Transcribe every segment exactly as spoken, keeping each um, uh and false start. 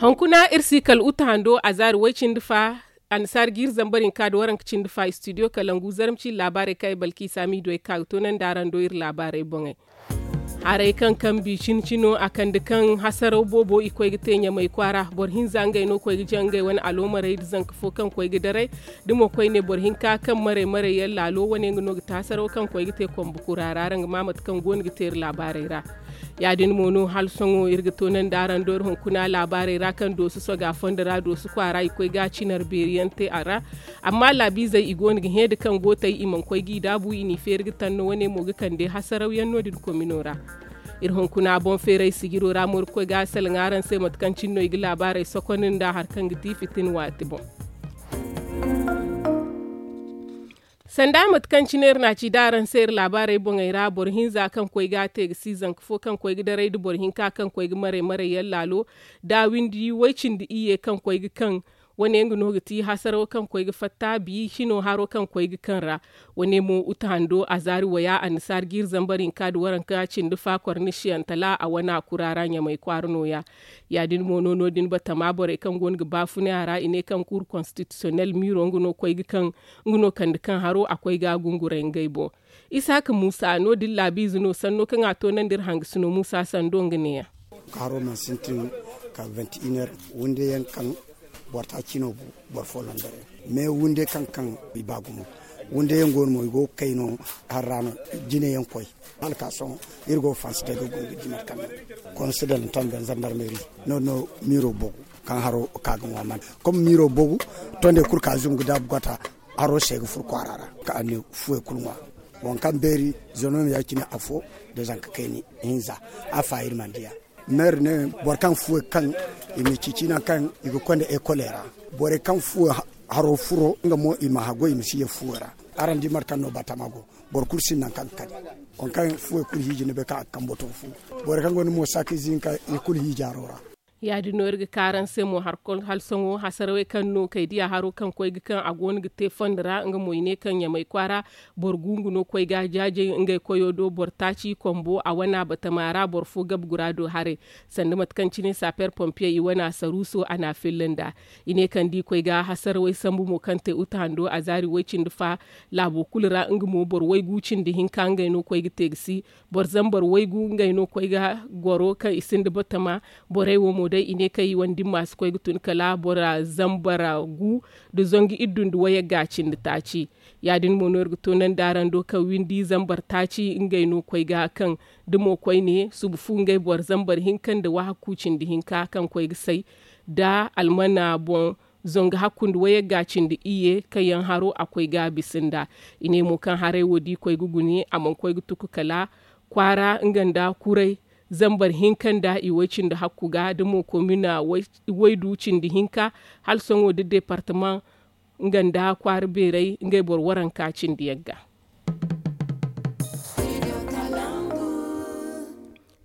Hunkuna iri si kala uta hando a zaari way-cindi fa. Annasaara ga iri zambar hinka nda waranka cindi fa istidiyo kalangu zarma ciine laabaarey kaŋ ay balki i saamiido ay ga ka ga toonandi araŋ do iri laabaarey boŋey. Haray kaŋ kambi cine-cino a kande kaŋ hasaraw boobo i koy ga te ɲamay kwaara boro hinza ngey no koy ga jaŋ ngey wane aloomarey nda zanka fo kaŋ koy ga daray. Da mo koyne boro hinka kaŋ maray maray yaŋ laalo wane nga no ga te hasaraw kaŋ koy ga te kombo kura ra araŋ ga ma mate kaŋ go no ga te iri laabaarey ra. Ya- din mo no hala sohõ iri ga toonandi araŋ do iri hunkuna laabaarey ra kaŋ dooso soga fondo ra dooso kwaara i koy ga cinar beeri yaŋ te a ra. Amma laabiizey i go no ga hẽe da kaŋ gootey i mana koy g'i daabu i n'i feeri ga tanno wane mo ga kande hasaraw yaŋ no- din komino ra. Iri hunkuna boŋ feeray sijiro ra mo iri ga koy ga a salaŋ araŋ se mate kaŋ cine no i ga laabaarey sokonda nda hari kaŋ ga ti fitin waati boŋ. Sanda mate kaŋ cine iri na a ci da araŋ se iri laabaarey boŋey ra boro hinza kaŋ koy ga a te ga si zanka fo kaŋ koy ga daray nda boro hinka kaŋ koy ga maray maray yaŋ laalo da windi way-cindi iyye kaŋ koy ga kaŋ. Wane nga no ga ti hasaraw kaŋ koy ga fatta bi cino haro kaŋ koy ga kaŋ ra. Wane mo uta hando a zaari waya annasaara ga iri zambar hinka nda waranka cindi fa kornisiyaŋ tala a wana kura ra ɲamay kwaara nooya. Ya- din mo no no- din batama borey kaŋ go no ga baafunay a ra i ne kaŋ kuuru konstitisiyonel miiro nga no koy ga kaŋ nga no kande kaŋ haro a koy ga a gunguray ngey boŋ. Isaaka muusa no- din laabiize no sanno kaŋ a toonandi iri hangasino muusa sando nga neeya. Haro mana sintin ka vingt et une heures wunde yaŋ kaŋ boro taaci no bu boro fo londore. Mais wunde kaŋ kaŋ i ba gumo wunde yaŋ go no mo i go ga kay no. Hari ra no jine yaŋ koy hala ka sohõ iri go ga fansi day ga gumbi dimar kaŋ no konsidal ntan ben zandarmeri no- din no miiro bogu kaŋ haro ka ga ŋwa man. Kom miiro bogu tonde kulu ka zungu daabu gota haro se ga furo kwaara ra ka a ne fuwey kulu ŋwa. Waŋ kaŋ beeri zonom ya- cine afo da zanka kayni hinza a fa iri mana diya. Meeri ne boro kaŋ fuwey kaŋ i ma cici nangu kaŋ i ga konda ekoley ra. Borey kaŋ fuwey haro furo nga mo i ma haggoy i ma si ye fuwey ra. Araŋ di mate kaŋ no batama go boro kulu sinda nangu kaŋ ga kani. Waŋ kaŋ fuwey kulu hiiji ni bay kaŋ a ga kambo to fu. Borey kaŋ gonda moosa ka ize hinka i kulu hiiji haro ra. Ya- din no iri ga ka araŋ se mo hari kulu hala sohõ hasarawey kaŋ no kay diya haro kaŋ koy ga kaŋ a go no ga te fondo ra nga mo i ne kaŋ ɲamay kwaara boro gungu no koy ga jaajay ngey koyo do boro taaci kombo a wana batama ra boro fo gabe gura do haray. Sanda mate kaŋ cine saper pompiye i wana saruuso a na a filla nd'a. I ne kaŋ da i koy ga hasarawey sambu mo kaŋ te uta hando a zaari way- cindi fa laabo kulu ra nga mo boro waygu cindi hinka ngey no koy ga te ga si. Boro zambar waygu ngey no koy ga goro kaŋ i sinda batama. Borey wo mo day i ne kaŋ i wane dimma si koy ga tun kala bora zambar gu nda zangu iddu nda wayagga cindi taaci. Ya- din mo no iri ga toonandi araŋ do kaŋ windi zambar taaci ngey no koy ga kaŋ da mo koyne suba fu ngey boro zambar hinka nda wahakku cindi hinka kaŋ koy ga say da almana boŋ. Zangu hakku nda wayagga cindi iyye kaŋ yaŋ haro a koy ga a bisa nd'a. I ne mo kaŋ haray wo da i koy ga gune a mana koy ga tuku kala kwaara nga nda kuray zambar hinka nda i way- cindi hakku ga da mo komina waydu cindi hinka hala sohõ da departamaŋ nga nda kwaara beeray ngey boro waranka cindi yagga.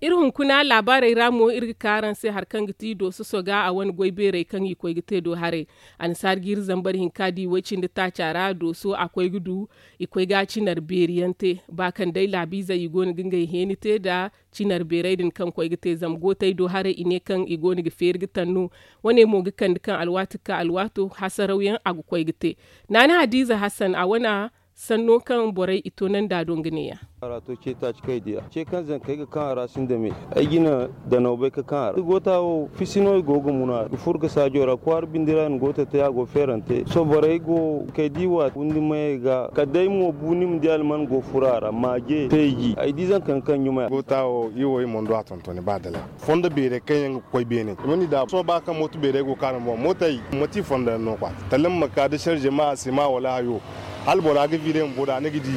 Iri hunkuna laabaarey ra mo iri ga ka araŋ se hari kaŋ ga ti dooso soga a wane goy beerey kaŋ i koy ga te do haray. Annasaara ga iri zambar hinka da i way- cindi taaca ra dooso a koy ga du i koy ga a cinar beeri yaŋ te ba kaŋ day laabiizey i go no ga ngey heeni te nda cinar beerey din kaŋ koy ga te zama gootey do haray i ne kaŋ i go no ga feeri ga tanno. Wane mo ga kande kaŋ alwaati ga ka alwaato hasaraw yaŋ a ga koy ga te. Naana hadiiza hassan a wana sanno kaŋ borey i toonandi a do nga neeya. Harato ce taaci kaŋ ay di a ce kaŋ zankey ga kaŋ a ra sinda me. Ay jina danaw bay ka kaŋ a ra goota wo fisi no i go ga muna i furo ga saajo ra kwaara bindi ra i na goota te a go feerante sohõ borey go kay di waati windi mayey ga kala day mo bu ni ma di alman go furo a ra maaje feeji ay di zanka kaŋ ɲumay. Goota wo i wo i mana du a tontoni ba dalay fondo beerey kaŋ yaŋ ga koy beene i mana i daabu sohõ ba kaŋ mooto beerey go kaanu boŋ mootey mate i fondo yaŋ no kwaati tala ni ma ka da sarze ma a se ma wala hayo. Hala bora ga vire ma boda ni ga di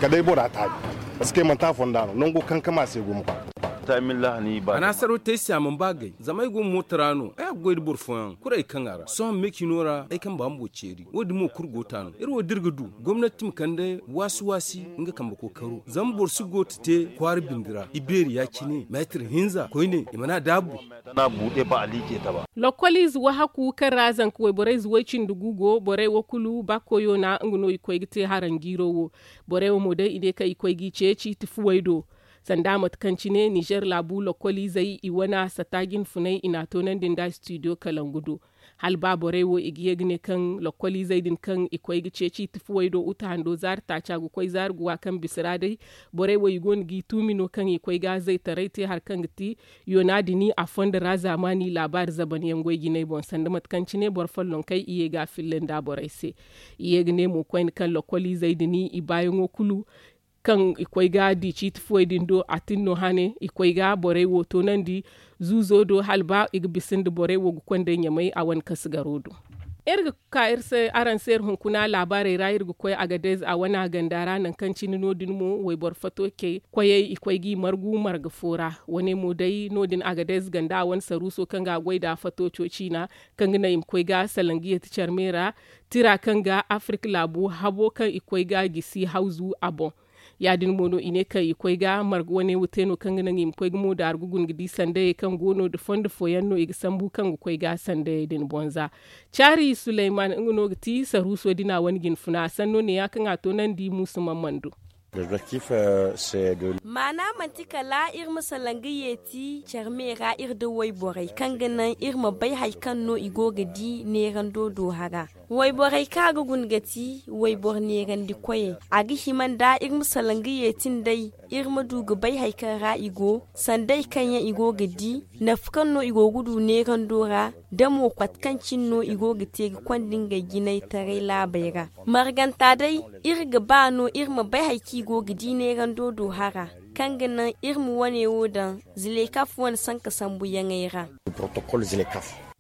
kala day bora taabi. Parce que manti a fonda no nango kankama se gumo ka. A na hasaro te ay se a mana ba gay zama ay go mooto ra no ay a ga goy nda boro fooyaŋ kulu ay kaŋ a ra sohõ me cino ra ay kamba bumbo ceeri wo- din mo kulu goota no iri wo da iri ga du gomnati ma kande waasi waasi nga kambe kookaro zama boro si goota te kwaara bindi ra i beeri ya- cine meetir hinza koyne i mana a daabu. Lokol ize wahakku kaŋ ra zanka wayborey ize way- cindi gu go borey wo kulu ba koyo na nga no i koy ga te haranjiiro wo. Borey wo mo day i ne kaŋ i koy g'i ceeci tifuwey do. Sanda mate kaŋ cine nizer laabu lokkoliizey i wane sata jinfunay i n'a toonandi nda studio kalangu do. Hala ba borey wo i ga ye ga ne kaŋ lokkoliizey din kaŋ i koy ga ceeci tifuwey do uta hando zaari taaca ga koy zaari ga wa kaŋ bisa ra day, borey wo i go no g'i tuumi no kaŋ i koy ga zaytaray te hari kaŋ ga ti yoona dini a fondo ra zaamaani laabaari zaban yaŋ goy jinay boŋ sanda mate kaŋ cine boro follonkey i ye ga a filla nda borey se. I ye ga ne mo koyne kaŋ lokkoliizey dini i baayaŋo kulu kaŋ i koy ga di ciiti fuwey din do a tin no hane i koy ga borey wo toonandi zuuzo do hala ba i ga bisa nda borey wo ga konday ɲamay a wane kasigaro do. Iri ga ka iri se araŋ se iri hunkuna laabaarey ra iri ga koy agadez a wane a ganda ra nangu kaŋ cine no- din mo wayboro fato ce koyey i koy g'i margu marga fo ra. Wane mo day no- din agadez ganda a wane saruuso kaŋ ga a goy nd'a fato co ciina kaŋ ga naŋ i ma koy ga salangu yeeti care me ra tira kaŋ ga afirik laabu habo kaŋ i koy ga gisi hawzu a boŋ. Ya- din mo no i ne kaŋ i koy ga marga wane wo te no kaŋ ga naŋ i ma koy ga mo daaru ga guna ga di sandayey kaŋ go no nda fondo fooyaŋ no i ga sambu kaŋ ga koy ga sandayey din boŋ za. Caari suleyman nga no ga ti saruuso din a wane jinfuna a sanno ne- ya kaŋ a toonandi muusu mammando. Maana manti kala iri ma salaŋ ga yeeti care me ra iri nda wayborey kaŋ ga naŋ iri ma bay hari kaŋ no i go ga di neerando do hara. Wayborey kaŋ a ga guna ga ti wayboro neerandi koyey a ga hima nda iri ma salaŋ ga yeeti nd'ey iri ma du ga bay hari kaŋ ra i go sandey kaŋ yaŋ i go ga di nafa kaŋ no i go ga du neerando ra da mo kote kaŋ cine no i go ga te ga konda ngey jinay taray laabey ra. Marganta day iri ga ba no iri ma bay hari kaŋ i go ga di neerando do hara kaŋ ga naŋ iri ma wane wo daŋ zilekaf wane sanka sambuyaŋey ra.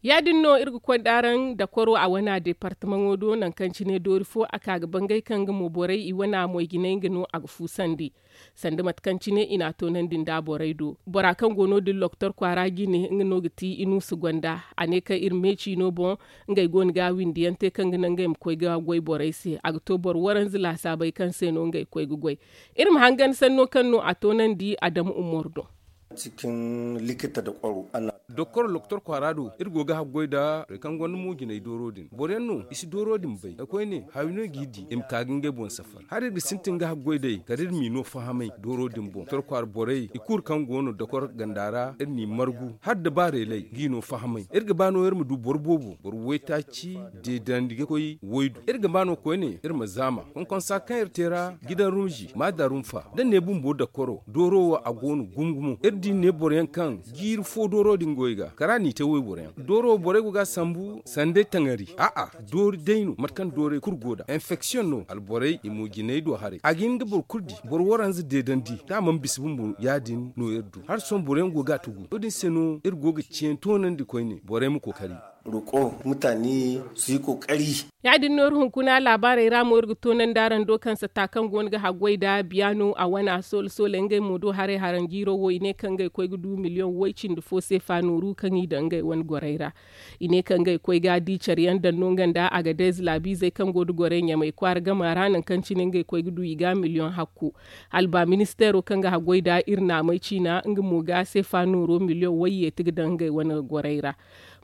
Ya- din no iri ga konda araŋ dakoro a wane a deepartamaŋo do nangu kaŋ cine doori fo a ka ga bangay kaŋ ga mo borey i wane a moy jinay nga no a ga fuusandi. Sanda mate kaŋ cine i n'a toonandi nda borey do bora kaŋ go no- din loktor kwaara jine nga no ga ti inuusu gonda. A ne kaŋ iri meeciino boŋ ngey go no ga windi yaŋ te kaŋ ga naŋ ngey ma koy ga goy borey se a ga to boro waranza laasaabey kaŋ se no ngey koy ga goy. Iri ma hangan sanno kaŋ no a toonandi adamu umar do. Doktor kwaara do iri go ga haggoy nda borey kaŋ gonda mo jinay dooro din boro yaŋ no i si dooro din bay da koyne hawi no i g'i di i ma ka ga ngey boŋ safar hala iri ga sintin ga haggoy day kala iri m'i no fahamay dooro din boŋ doktor kwaara borey i kulu kaŋ go no doktor ganda ra iri n'i margu hala da ba reelay g'i no fahamay iri ga ba no iri ma du boro boobo boro waytaaci deedandi ga koy waydu iri ga ba no koyne iri ma zaama konkonsa kaŋ iri te ra gidan rumzi maada rumfa da ne bumbo dakoro dooro wo a go no gumo gumo iri di ne boro yaŋ kaŋ jiiri fo dooro din goy ga kala n'i te wayboro yaŋ dooro wo borey go ga a sambu sanday taŋari a'a doori day no mate kaŋ doorey kulu go nd'a infeksiyoŋ no alborey i mo jinay do haray a ga hin ga boro kulu di boro waranza deedandi da a mana bisa bumbo ya- din no iri du hala sohõ boro yaŋ go ga a tugu wo- din se no iri go ga ciyaŋ toonandi koyne borey ma kookari. Roƙo mutane su yi ƙoƙari. Ya- din no iri hunkuna laabaarey ra mo iri ga toonandi araŋ do kaŋ sata kaŋ go no ga haggoy nda biya no a wane a soola soola ngey mo do haray haraŋ jiiro wo i ne kaŋ ngey koy ga du miliyoŋ way cindi fo seefa nooru kaŋ i daŋ ngey wane gorey ra. I ne kaŋ ngey koy ga di care yaŋ daŋ no nga nda agadez laabiizey kaŋ go nda gorey ɲamay kwaara gama ra nangu kaŋ cine ngey koy ga du i ga miliyoŋ hakku. Hala ba ministeero kaŋ ga haggoy nda iri naamay ciina nga mo ga seefa nooro miliyoŋ wayyeeti ga daŋ ngey wane gorey ra.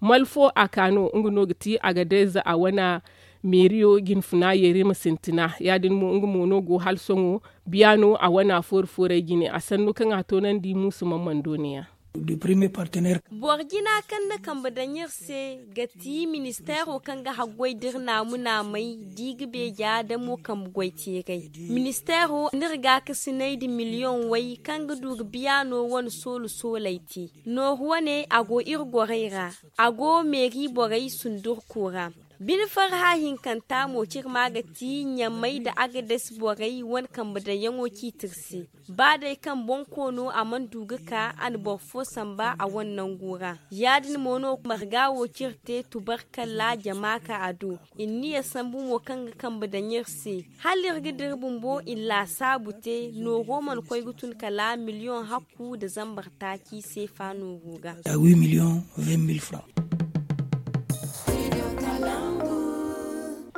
Malfo a ka no nga no ga ti agadez a wane meeriyo jinfuna yeeri ma sintina ya- din mo nga mo no go hala sohõ biya no a wane a foori foorey jine a sannu kaŋ a toonandi muusu mammando ne- ya. Boro jina kaŋ na kambe daŋ iri se ga ti ministeero kaŋ ga haggoy da iri naamu naamey da i ga beeja da mo kambe goy teeray. Ministeero n'iri gaakasinay nda miliyoŋ way kaŋ ga du ga biya no wane soolu sooley te nooru wane a go iri gorey ra. A go meeri borey sundurku ra. Bine farha hinkanta mo ciri ma ga ti ɲamey nda agadez borey wane kambe daŋyaŋo ciiti iri se. Ba day kaŋ boŋ koono a mana du ga ka a na boro fo samba a wane nangu ra. Ya- din mo no marga wo ciri te tubarkalla jama ka a do. I na niya sambu mo kaŋ ga kambe daŋ iri se hala iri ga dira bumbo i na laasaabu te nooro mana koy ga tun kala miliyoŋ hakku nda zambar taaci seefa nooro ga.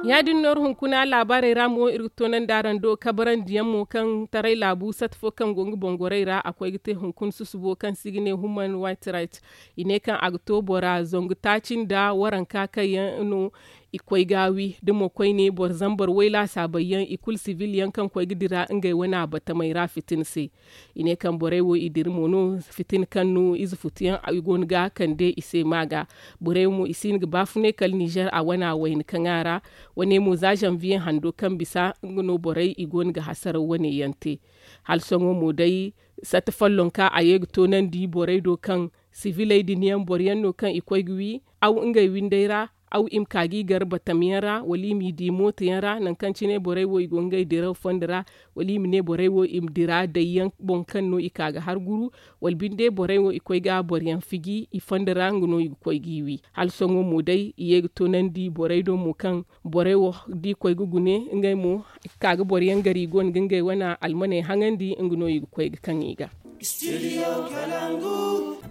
Ya- din no iri hunkuna laabaarey ra mo iri ga toonandi araŋ do kabarandiyaŋ mo kaŋ taray laabu sata fo kaŋ go nga boŋ gorey ra a koy ga te hunkuna susubo kaŋ se i ga ne human wayt rayt. I ne kaŋ a ga to bora zangu taaci nda waranka kaŋ yaŋ no I koy ga wi da mo koyne boro zambar way laasaabey yaŋ i kulu sibil yaŋ kaŋ koy ga dira ngey wane a batamey ra fitina se. I ne kaŋ borey wo i dira mo no fitina kaŋ no ize futu yaŋ i go no ga a kande i se ma ga. Borey mo i si hin ga baafunay kala nizer a wane a wayna kaŋ a ra. Wane mo za zanviye hando kaŋ bisa nga no borey i go no ga hasaraw wane yaŋ te. Hala sohõ mo day sata follonka a ye ga toonandi borey do kaŋ siviley din yaŋ boro yaŋ no kaŋ i koy ga wi aw ngey windey ra. Aw i ma ka ga i gar batam yaŋ ra wala i m'i di mooto yaŋ ra nangu kaŋ cine borey wo i go ngey diraw fondo ra. Wala i ma ne borey wo i ma dira day yaŋ boŋ kaŋ no i ka ga har guru. Wala binde borey wo i koy ga boro yaŋ fiji i fondo ra nga no i ga koy g'i wi. Hala sohõ mo day i ye ga toonandi borey do mo kaŋ borey wo da i koy ga gune ngey mo ka ga boro yaŋ gar i go no ga ngey wane almaney haŋandi nga no i ga koy ga kaŋ i ga.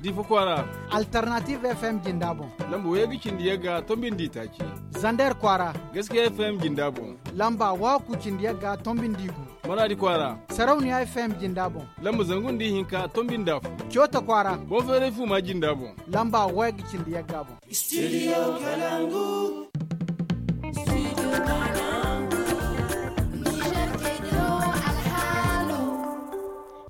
Difa kwaara. Alternative F M jinda boŋ. Lamba way ga cindi yagga tombindi taaci. Zander kwaara. Gaskiya F M jinda boŋ. Lamba waku cindi yagga tombindi gu. Maradi kwaara. Sarauniya F M jinda boŋ. Lamba zangu nda ihinka tombindi afo. Coota kwaara. Boŋ feeray fuma jinda boŋ. Lamba way ga cindi yagga boŋ. Studio Kalangu.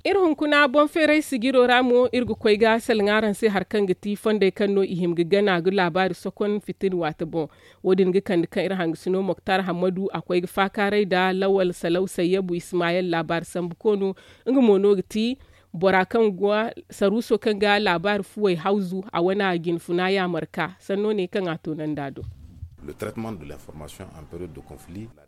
Iri hunkuna boŋ feeray sijiro ra mo iri ga koy ga salaŋ araŋ se hari kaŋ ga ti fondey kaŋ no i hima ga gana ga laabaari sokon fitina waate boŋ. Wo- din ga kande kaŋ iri hangasino moktar hammadu a koy ga faakaaray nda lawal salaw sayyabu ismayel laabaari sambu koono. Nga mo no ga ti bora kaŋ ga saruuso kaŋ ga laabaari fuwey hawzu a wane a jinfuna yaamar ka sanno ne kaŋ a toonandi a do.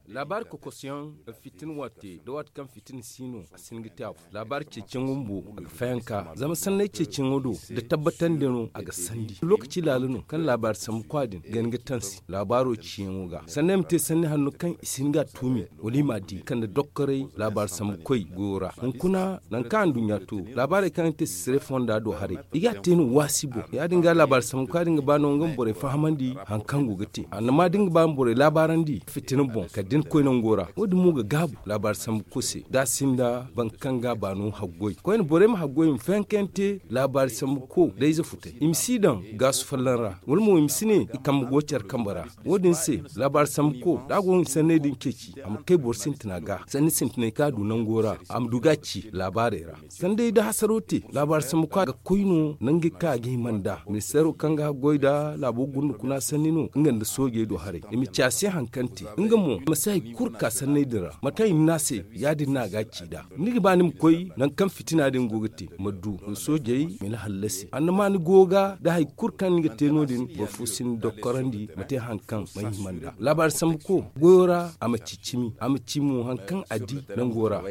Laabaari kokosyaŋ fitina waate nda waati kaŋ fitina si no a si hin ga te afo. Laabaari ceeciyaŋo bumbo a ga fayanka zama sanney ceeciyaŋo do da tabbatandi no a ga sandi lokaci laala no kaŋ laabaari sambu kwa din ga hin ga tansi laabaaro ciyaŋo ga sanney ma te sanni hanno kaŋ i si hin ga a tuumi wala i m'a di kande doktorey laabaari sambu koy goyo ra hunkuna nangu kaŋ anduɲɲa to laabaarey kaŋ ga te sisire fonda do haray i ga a te no waasi boŋ ya- din ga laabaari sambu kwa din ga ba no nga ma borey fahamandi hari kaŋ go ga te annama da ni ga ba ma borey laabaarandi fitina boŋ kala da ni koy nango ra wo- din mo ga gaabu laabaari sambu koy se da a sinda boro kaŋ ga a ba no haggoy koyne borey ma haggoy i ma fayankayaŋ te laabaari sambu ko da ize futay i ma si daŋ gaasu folloŋ ra wala mo i ma si ne i kambe go care kambe ra wo- din se laabaari sambu ko da a go ga sanney din ceeci a ma kay boro sintina ga sanni sintinay kaŋ a du nango ra a ma du ga a ci laabaarey ra sanda day da hasaro te laabaari sambu ka ga koy no nangey kaŋ a ga hima nd'a ministeero kaŋ ga goy nda laabo gunda kuna sanni no nga nda soojey do haray i ma ci a se hari kaŋ te nga mo a ma si hari kulu ka sanney din ra mate kaŋ i ma ne a se ya- din no a ga a ci nd'a ni ga ba ni ma koy nangu kaŋ fitina din go ga te ma du soojey ma ni hallasi annama ni go ga nda hari kulu kaŋ ni ga te no- din boro fo si ni dokkorandi ma te hari kaŋ ma hima nd'a laabaari sambu ko goyo ra a ma ci cimi a ma ci mo hari kaŋ a di nango ra.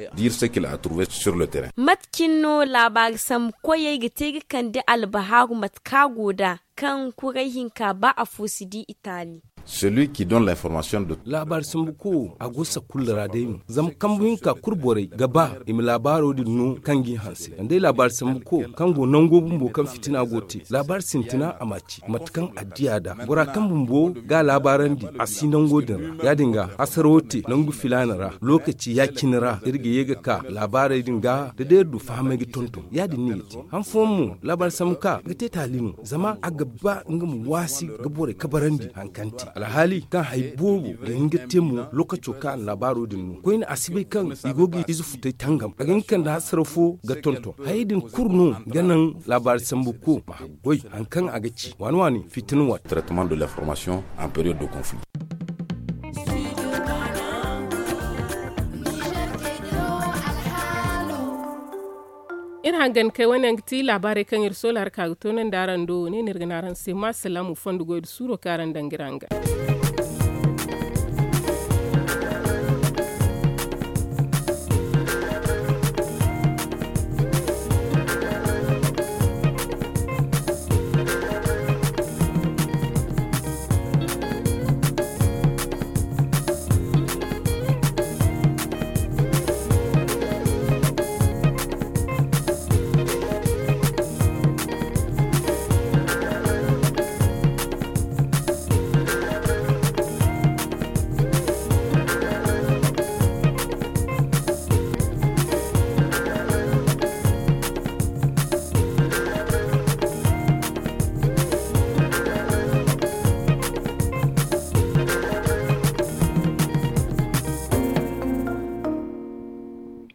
Mate cine no laabaari sambu koyey ga te ga kande albahaaru mate kaŋ a go nd'a kaŋ kuray hinka ba afo si di i taali. Laabaari sambu ko a go sakulla ra day no zama kambu hinka kulu borey ga ba i ma laabaaro din no kaŋ g'i hanse zama day laabaari sambu ko kaŋ go nango bumbo kaŋ fitina go te laabaari sintina a ma a ci mate kaŋ a di a nd'a bora kaŋ bumbo ga a laabaarandi a si nango din ra ya- din ga hasaro te nangu filaana ra lookaci ya- cine ra iri ga ye ga ka laabaarey din ga da day iri du fahamay ga tonton ya- din no i ga te han fooyaŋ mo laabaari sambu ka ga te taali no zama a ga ba nga ma waasi ga borey kabarandi hari kaŋ te alhaali kaŋ hari boobo ga hin ga te mo lookaco kaŋ a na laabaaro din no koyne a si bay kaŋ i go ga ize futay tangam a ga hin ga kande hasara fo ga tonton hayey din kulu no ga naŋ laabaari sambu ko ma haggoy hari kaŋ a ga ci waani waani fitina waate. Iri hangan kay wane yaŋ ga ti laabaarey kaŋ iri soola hari ka ga toonandi araŋ do wane no iri ga ne araŋ se ma salaamu fondo goy nda suuro kaŋ araŋ daŋ ga iri hangan.